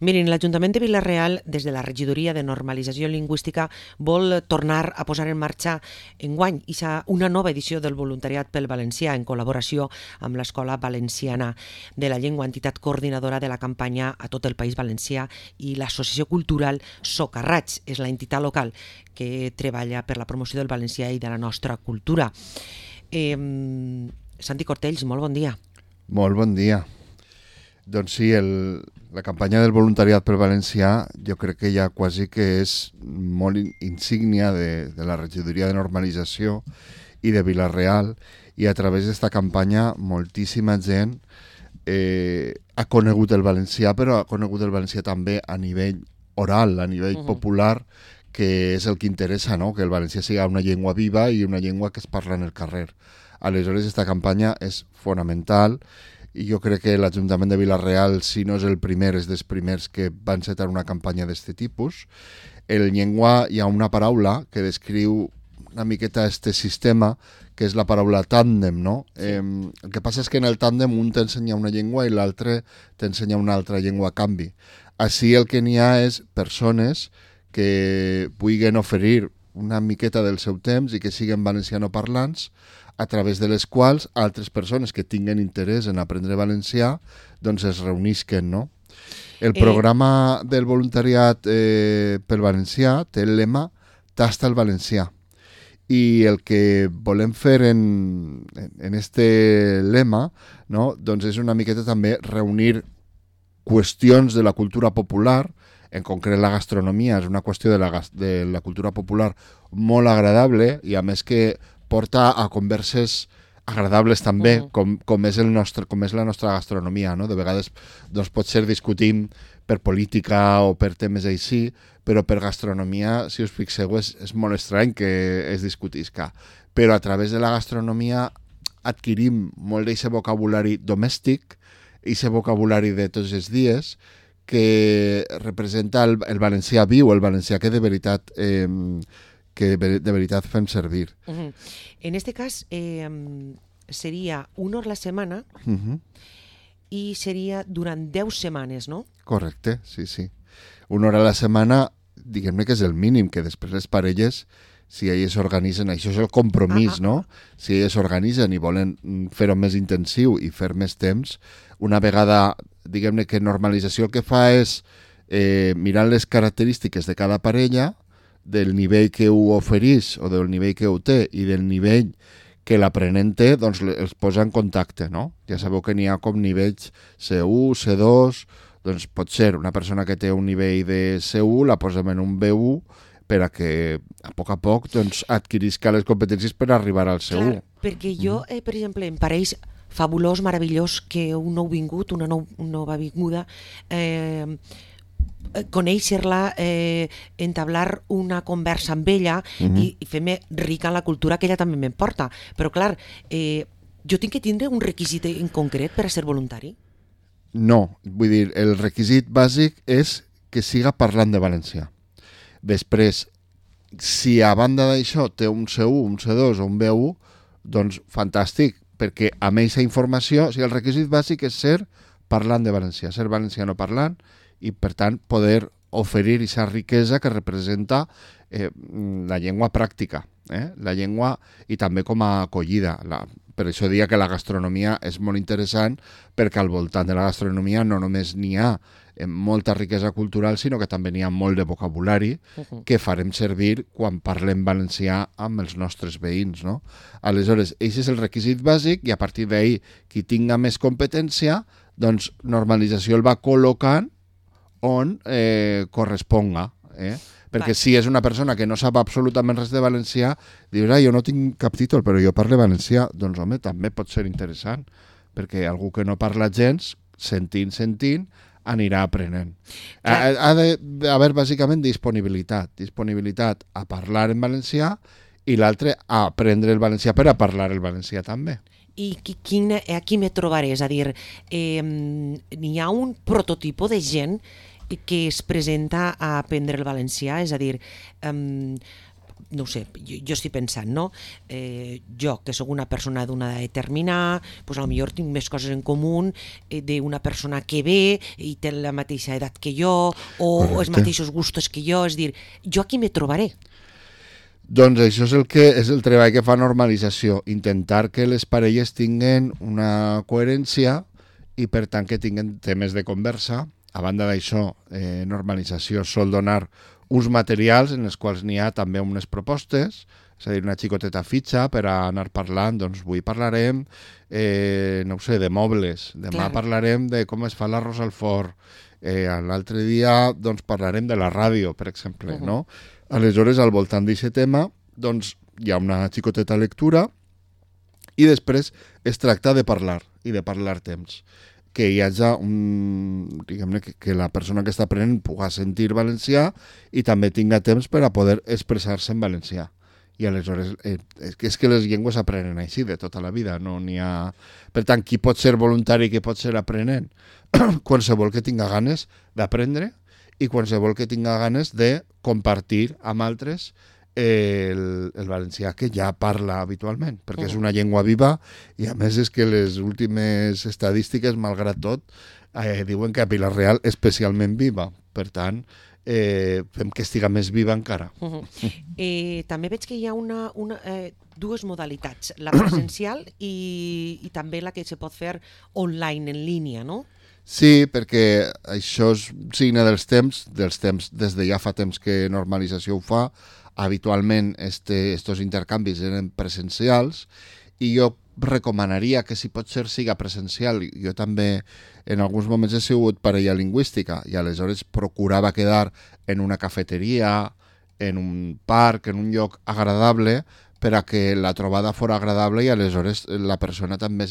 Mirin, l'Ajuntament de Vila-real, des de la Regidoria de Normalització Lingüística, vol tornar a posar en marxa enguany una nova edició del voluntariat pel valencià en col·laboració amb l'Escola Valenciana de la Llengua, entitat coordinadora de la campanya a tot el País Valencià, i l'Associació Cultural Socarrats, és l'entitat local que treballa per la promoció del valencià i de la nostra cultura. Santi Cortells, molt bon dia. Molt bon dia. Doncs sí, la campanya del voluntariat pel valencià jo crec que ja quasi que és molt insígnia de la regidoria de normalització i de Vila-real, i a través d'esta campanya moltíssima gent ha conegut el valencià, però ha conegut el valencià també a nivell oral, a nivell popular, que és el que interessa, no? Que el valencià sigui una llengua viva i una llengua que es parla en el carrer. Aleshores, aquesta campanya és fonamental, i jo crec que l'Ajuntament de Vila-real, si no és el primer, és dels primers que van encetar una campanya d'aquest tipus. En llengua hi ha una paraula que descriu una miqueta aquest sistema, que és la paraula tàndem, no? El que passa és que en el tàndem un t'ensenya una llengua i l'altre t'ensenya una altra llengua a canvi. Així el que n'hi ha és persones que puguin oferir una miqueta del seu temps i que siguin valencianoparlants, a través de les quals altres persones que tinguen interès en aprendre valencià doncs es reunisquen, no? El programa del voluntariat pel valencià té el lema Tasta el valencià, i el que volem fer en este lema, no? Doncs és una miqueta també reunir qüestions de la cultura popular. En concret la gastronomia és una qüestió de la cultura popular molt agradable, i a més que porta a converses agradables també, com és la nostra gastronomia, no? De vegades doncs, potser discutim per política o per temes així, però per gastronomia, si us fixeu, és molt estrany que es discutisca. Però a través de la gastronomia adquirim molt d'aquest vocabulari domèstic, aquest vocabulari de tots els dies, que representa el valencià viu, el valencià que de veritat fem servir. En este cas seria una hora a la setmana i seria durant 10 setmanes, no? Correcte, sí. Una hora a la setmana, diguem-ne que és el mínim, que després les parelles, si elles s'organitzen, això és el compromís, no? Si elles s'organitzen i volen fer-ho més intensiu i fer més temps, una vegada, diguem-ne que normalització el que fa és mirar les característiques de cada parella, del nivell que ho oferís o del nivell que ho té i del nivell que l'aprenent té, doncs els posa en contacte, no? Ja sabeu que n'hi ha com nivells C1, C2, doncs pot ser una persona que té un nivell de C1, la posem en un B1 per a que a poc doncs, adquirisca les competències per arribar al C1. Clar, perquè jo, per exemple, em pareix fabulós, meravellós que un nou vingut, una nova vinguda, conèixer-la, entablar una conversa amb ella i fer-me rica en la cultura que ella també m'emporta. Però clar, jo tinc que tindre un requisit en concret per a ser voluntari? No, vull dir, el requisit bàsic és que siga parlant de valencià. Després, si a banda d'això té un C1, un C2 o un B1, doncs fantàstic, perquè amb aquesta informació, el requisit bàsic és ser parlant de valencià, ser valenciano parlant, i per tant poder oferir aquesta riquesa que representa la llengua pràctica, la llengua, i també com a acollida. Per això diria que la gastronomia és molt interessant, perquè al voltant de la gastronomia no només n'hi ha molta riquesa cultural, sinó que també n'hi ha molt de vocabulari que farem servir quan parlem valencià amb els nostres veïns, no? Aleshores, aquest és el requisit bàsic, i a partir d'ahir, qui tinga més competència, doncs normalització el va col·locant on corresponga. Perquè si és una persona que no sap absolutament res de valencià, dius, jo no tinc cap títol, però jo parlo valencià. Doncs home, també pot ser interessant, perquè algú que no parla gens, sentint, anirà aprenent. Ha d'haver bàsicament disponibilitat a parlar en valencià, i l'altre a aprendre el valencià per a parlar el valencià també. I aquí me trobaré, és a dir, n'hi ha un prototipo de gent que es presenta a aprendre el valencià, és a dir, no ho sé, jo estic pensant, no? Jo, que sóc una persona d'una edat determinada, doncs potser tinc més coses en comú d'una persona que ve i té la mateixa edat que jo, o els mateixos gustos que jo, és dir, jo aquí me trobaré. Doncs això és el treball que fa normalització, intentar que les parelles tinguen una coherència i per tant que tinguen temes de conversa. A banda d'això, normalització sol donar uns materials en els quals n'hi ha també unes propostes, és a dir, una xicoteta fitxa per a anar parlant, doncs avui parlarem, no ho sé, de mobles, demà parlarem de com es fa l'arròs al forn, l'altre dia doncs parlarem de la ràdio, per exemple, no? Aleshores, al voltant d'aquest tema, doncs hi ha una xicoteta lectura i després es tracta de parlar i de parlar temps. Que hi hagi diguem-ne, que la persona que està aprenent pugui sentir valencià i també tinga temps per a poder expressar-se en valencià. I aleshores, és que les llengües aprenen així de tota la vida, no n'hi ha... Per tant, qui pot ser voluntari i qui pot ser aprenent? Qualsevol que tinga ganes d'aprendre i qualsevol que tinga ganes de compartir amb altres el valencià que ja parla habitualment, perquè és una llengua viva i a més és que les últimes estadístiques, malgrat tot, diuen que a Vila-real especialment viva. Per tant, fem que estiga més viva encara. També veig que hi ha dues modalitats, la presencial i també la que se pot fer online, en línia, no? Sí, perquè això és signe dels temps, des de ja fa temps que normalització ho fa. Habitualment estos intercanvis eren presencials i jo recomanaria que si pot ser siga presencial. Jo també en alguns moments he sigut parella lingüística i aleshores procurava quedar en una cafeteria, en un parc, en un lloc agradable per a que la trobada fos agradable i aleshores la persona també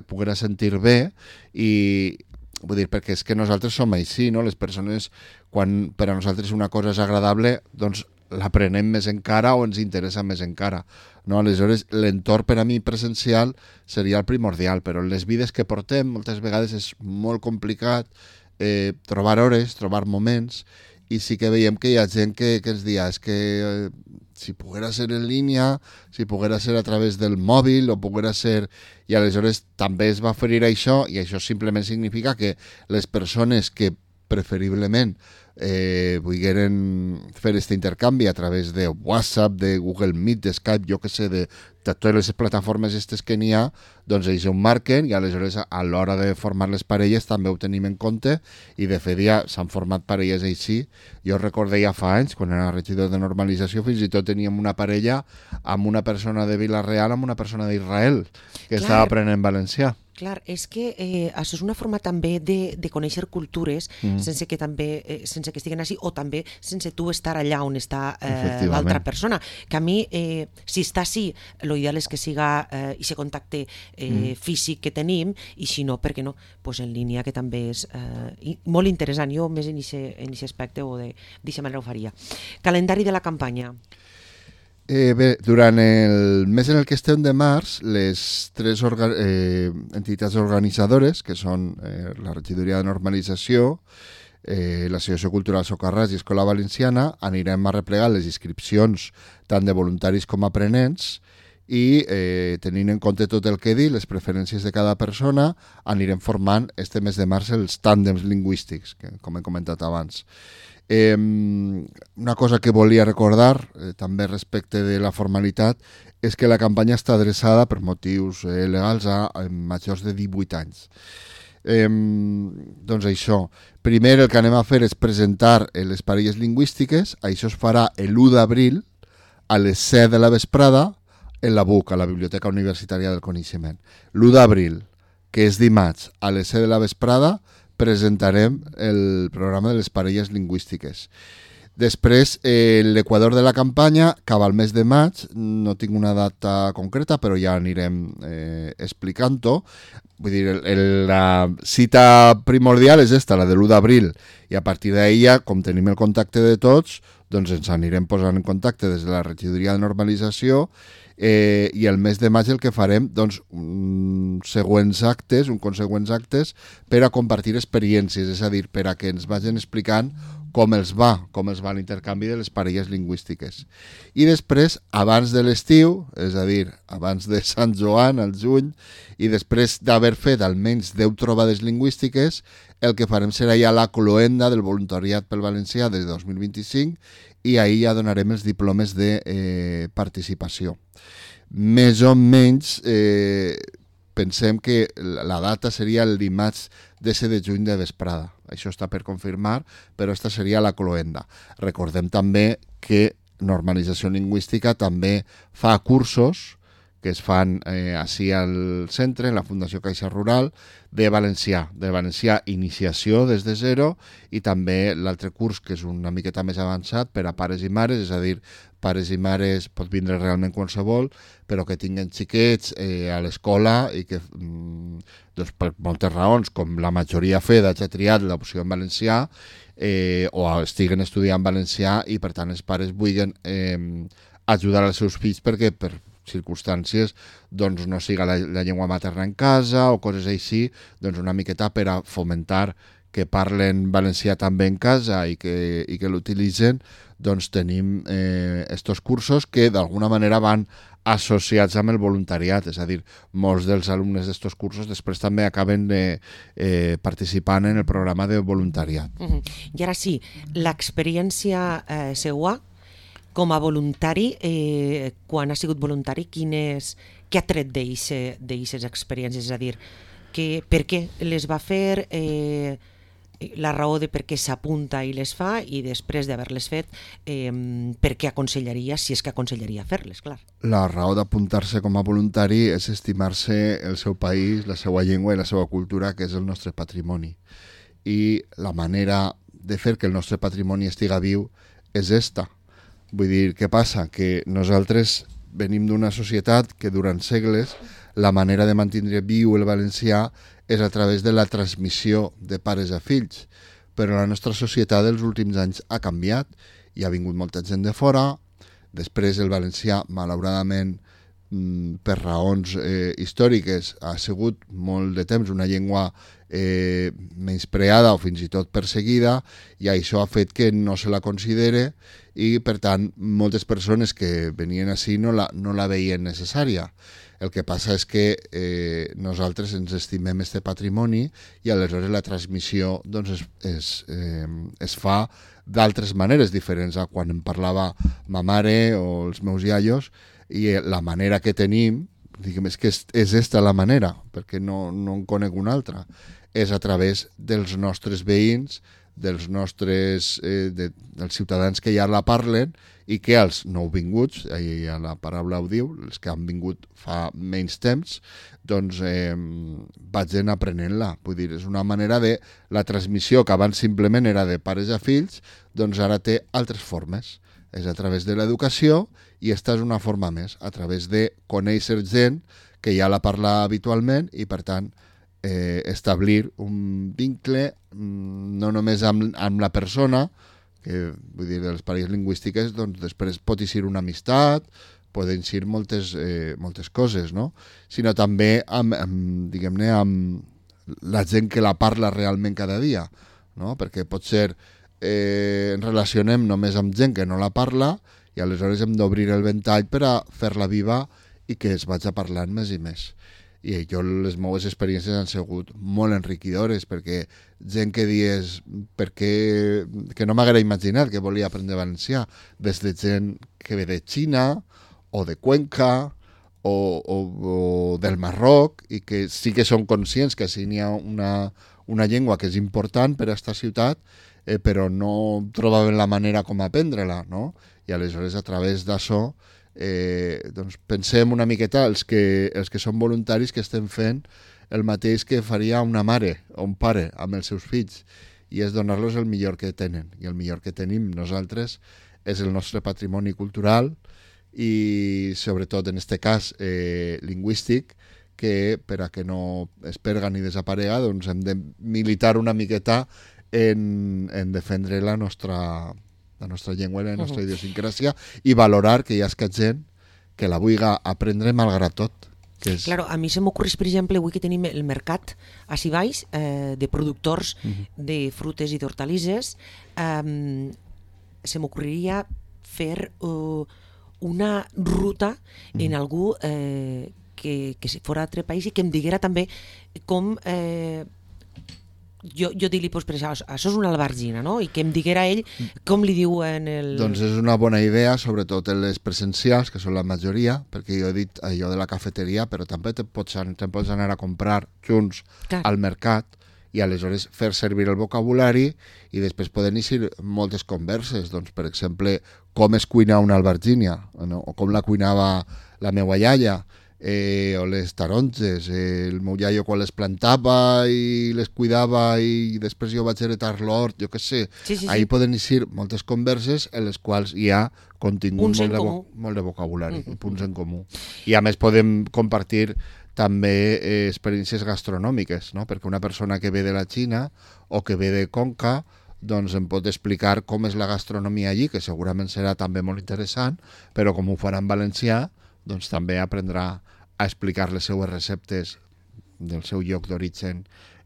poguera sentir bé i vull dir, perquè és que nosaltres som així, no? Les persones, quan per a nosaltres una cosa és agradable, doncs l'aprenem més encara o ens interessa més encara, no? Aleshores, l'entorn per a mi presencial seria el primordial, però en les vides que portem moltes vegades és molt complicat trobar hores, trobar moments, i sí que veiem que hi ha gent que ens dia és que si poguera ser en línia, si poguera ser a través del mòbil o poguera ser... I aleshores també es va oferir això i això simplement significa que les persones que preferiblement volgueren fer aquest intercanvi a través de WhatsApp, de Google Meet, de Skype, jo que sé, de totes les plataformes aquestes que n'hi ha, doncs ells ho marquen i aleshores a l'hora de formar les parelles també ho tenim en compte i de fet ja s'han format parelles així. Jo recordo ja fa anys, quan era regidor de normalització, fins i tot teníem una parella amb una persona de Vila-real amb una persona d'Israel que estava aprenent valencià. Clar, és que això és una forma també de conèixer cultures sense que estiguen així o també sense tu estar allà on està l'altra persona. Que a mi, si està així, l'ideal és que siga aquest contacte físic que tenim i si no, per què no? Pues en línia, que també és molt interessant. Jo més en aquest aspecte o d'aquesta manera ho faria. Calendari de la campanya. Bé, durant el mes en el que estem de març, les tres entitats organitzadores, que són la Regidoria de Normalització, l'Associació Cultural Socarràs i Escola Valenciana, anirem a replegar les inscripcions tant de voluntaris com aprenents i tenint en compte tot el que he dit, les preferències de cada persona, anirem formant este mes de març els tàndems lingüístics, que, com he comentat abans. Una cosa que volia recordar també respecte de la formalitat és que la campanya està adreçada per motius legals a majors de 18 anys. Doncs això, primer el que anem a fer és presentar les parelles lingüístiques. Això es farà l'1 d'abril a les 7 de la vesprada en la BUC, a la Biblioteca Universitària del Coneixement. L'1 d'abril, que és dimarts, a les 7 de la vesprada, presentarem el programa de les parelles lingüístiques. Després, l'equador de la campanya acaba el mes de maig, no tinc una data concreta, però ja anirem explicant-ho. Vull dir, la cita primordial és esta, la de l'1 d'abril, i a partir d'ahir, com tenim el contacte de tots, doncs ens anirem posant en contacte des de la Regidoria de Normalització i el mes de maig el que farem, doncs, uns següents actes per a compartir experiències, és a dir, per a que ens vagin explicant com els va l'intercanvi de les parelles lingüístiques. I després, abans de l'estiu, és a dir, abans de Sant Joan, al juny, i després d'haver fet almenys 10 trobades lingüístiques, el que farem serà ja la cloenda del voluntariat pel valencià des de 2025 i ahir ja donarem els diplomes de participació. Més o menys pensem que la data seria el dimarts 10 de juny de vesprada. Això està per confirmar, però esta seria la cloenda. Recordem també que Normalització Lingüística també fa cursos que es fan així al centre, en la Fundació Caixa Rural, de valencià iniciació des de zero, i també l'altre curs, que és una miqueta més avançat, per a pares i mares, és a dir, pares i mares pot vindre realment qualsevol, però que tinguen xiquets a l'escola i que, doncs, per moltes raons, com la majoria hagi triat l'opció en valencià, o estiguen estudiant valencià i, per tant, els pares vulguin ajudar els seus fills perquè per circumstàncies doncs no siga la llengua materna en casa o coses així, doncs una miqueta per a fomentar que parlen valencià també en casa i que l'utilitzen, doncs tenim estos cursos que d'alguna manera van associats amb el voluntariat, és a dir, molts dels alumnes d'estos cursos després també acaben participant en el programa de voluntariat. I ara sí, l'experiència seua com a voluntari, quan ha sigut voluntari, què ha tret d'aquestes experiències? És a dir, per què les va fer, la raó de per què s'apunta i les fa, i després d'haver-les fet, per què aconsellaria, si és que aconsellaria fer-les, clar. La raó d'apuntar-se com a voluntari és estimar-se el seu país, la seva llengua i la seva cultura, que és el nostre patrimoni. I la manera de fer que el nostre patrimoni estiga viu és esta. Vull dir, què passa? Que nosaltres venim d'una societat que durant segles la manera de mantenir viu el valencià és a través de la transmissió de pares a fills. Però la nostra societat dels últims anys ha canviat i ha vingut molta gent de fora. Després el valencià, malauradament, per raons històriques, ha sigut molt de temps una llengua menyspreada o fins i tot perseguida, i això ha fet que no se la considere i, per tant, moltes persones que venien així no la veien necessària. El que passa és que nosaltres ens estimem este patrimoni i aleshores la transmissió doncs, es fa d'altres maneres diferents a quan em parlava ma mare o els meus iaios, i la manera que tenim, diguem, és que és esta la manera, perquè no en conec una altra, és a través dels nostres veïns, dels ciutadans que ja la parlen i que els nouvinguts, ja la paraula ho diu, els que han vingut fa menys temps, doncs vagin aprenent-la. Vull dir, és una manera de la transmissió que abans simplement era de pares a fills, doncs ara té altres formes. És a través de l'educació, i esta és una forma més, a través de conèixer gent que ja la parla habitualment i, per tant, establir un vincle no només amb la persona, que vull dir, de les parelles lingüístiques, doncs després pot eixir una amistat, poden eixir moltes coses, no? Sinó també diguem-ne, amb la gent que la parla realment cada dia, no? Perquè pot ser ens relacionem només amb gent que no la parla i aleshores hem d'obrir el ventall per a fer-la viva i que es vagi parlant més i més. I les meves experiències han sigut molt enriquidores, perquè gent que dies que no m'haguera imaginat que volia aprendre valencià, des de gent que ve de Xina o de Cuenca o del Marroc, i que sí que són conscients que sí n'hi ha una llengua que és important per a aquesta ciutat, però no trobaven la manera com aprendre-la, no? I aleshores, a través d'això, doncs pensem una miqueta els que són voluntaris, que estem fent el mateix que faria una mare o un pare amb els seus fills, i és donar-los el millor que tenen. I el millor que tenim nosaltres és el nostre patrimoni cultural i, sobretot, en aquest cas, lingüístic, que per a que no es perga ni desaparega, doncs hem de militar una miqueta en defendre la nostra llengua i la nostra idiosincràsia, i valorar que hi ha gent que la vulgui aprendre malgrat tot. Que és... Claro, a mi se m'ocorreix, per exemple, avui que tenim el mercat a Baix de productors de frutes i d'hortalisses, se m'ocorreria fer una ruta en algú que fora d'altre país i que em diguera també com... jo dir-li, doncs, per això és una albergina, no? I que em diguera ell com li diuen el... Doncs és una bona idea, sobretot en les presencials, que són la majoria, perquè jo he dit allò de la cafeteria, però també te pots anar a comprar junts al mercat i aleshores fer servir el vocabulari i després poden eixir moltes converses. Doncs, per exemple, com es cuina una albergínia, no? O com la cuinava la meva iaia, o les taronges, el meu iaio quan les plantava i les cuidava i després jo vaig heretar l'hort, jo què sé. Ahí poden eixir moltes converses en les quals hi ha contingut molt de vocabulari, punts en comú. I a més podem compartir també experiències gastronòmiques, no? Perquè una persona que ve de la Xina o que ve de Conca doncs em pot explicar com és la gastronomia allí, que segurament serà també molt interessant, però com ho farà en valencià, doncs també aprendrà a explicar les seues receptes del seu lloc d'origen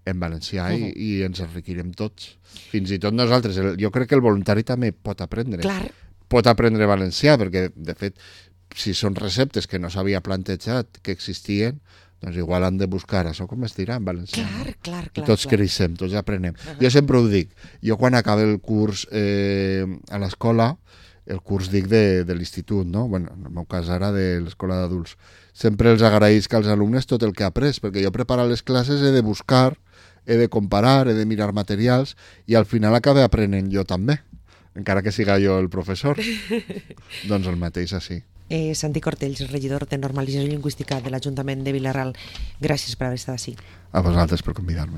en valencià i ens enriquirem tots. Fins i tot nosaltres, jo crec que el voluntari també pot aprendre. Clar. Pot aprendre valencià, perquè de fet, si són receptes que no s'havia plantejat que existien, doncs igual han de buscar això com es dirà en valencià. Clar. I tots creixem, tots aprenem. Jo sempre ho dic, jo quan acabe el curs a l'escola, el curs dic de l'institut, no? Bueno, en el meu cas ara de l'escola d'adults. Sempre els agraïsc als alumnes tot el que he après, perquè jo preparar les classes he de buscar, he de comparar, he de mirar materials i al final acabe aprenent jo també, encara que siga jo el professor. Doncs el mateix així. Santi Cortells, regidor de Normalització Lingüística de l'Ajuntament de Vila-ral, gràcies per haver estat així. A vosaltres per convidar-me.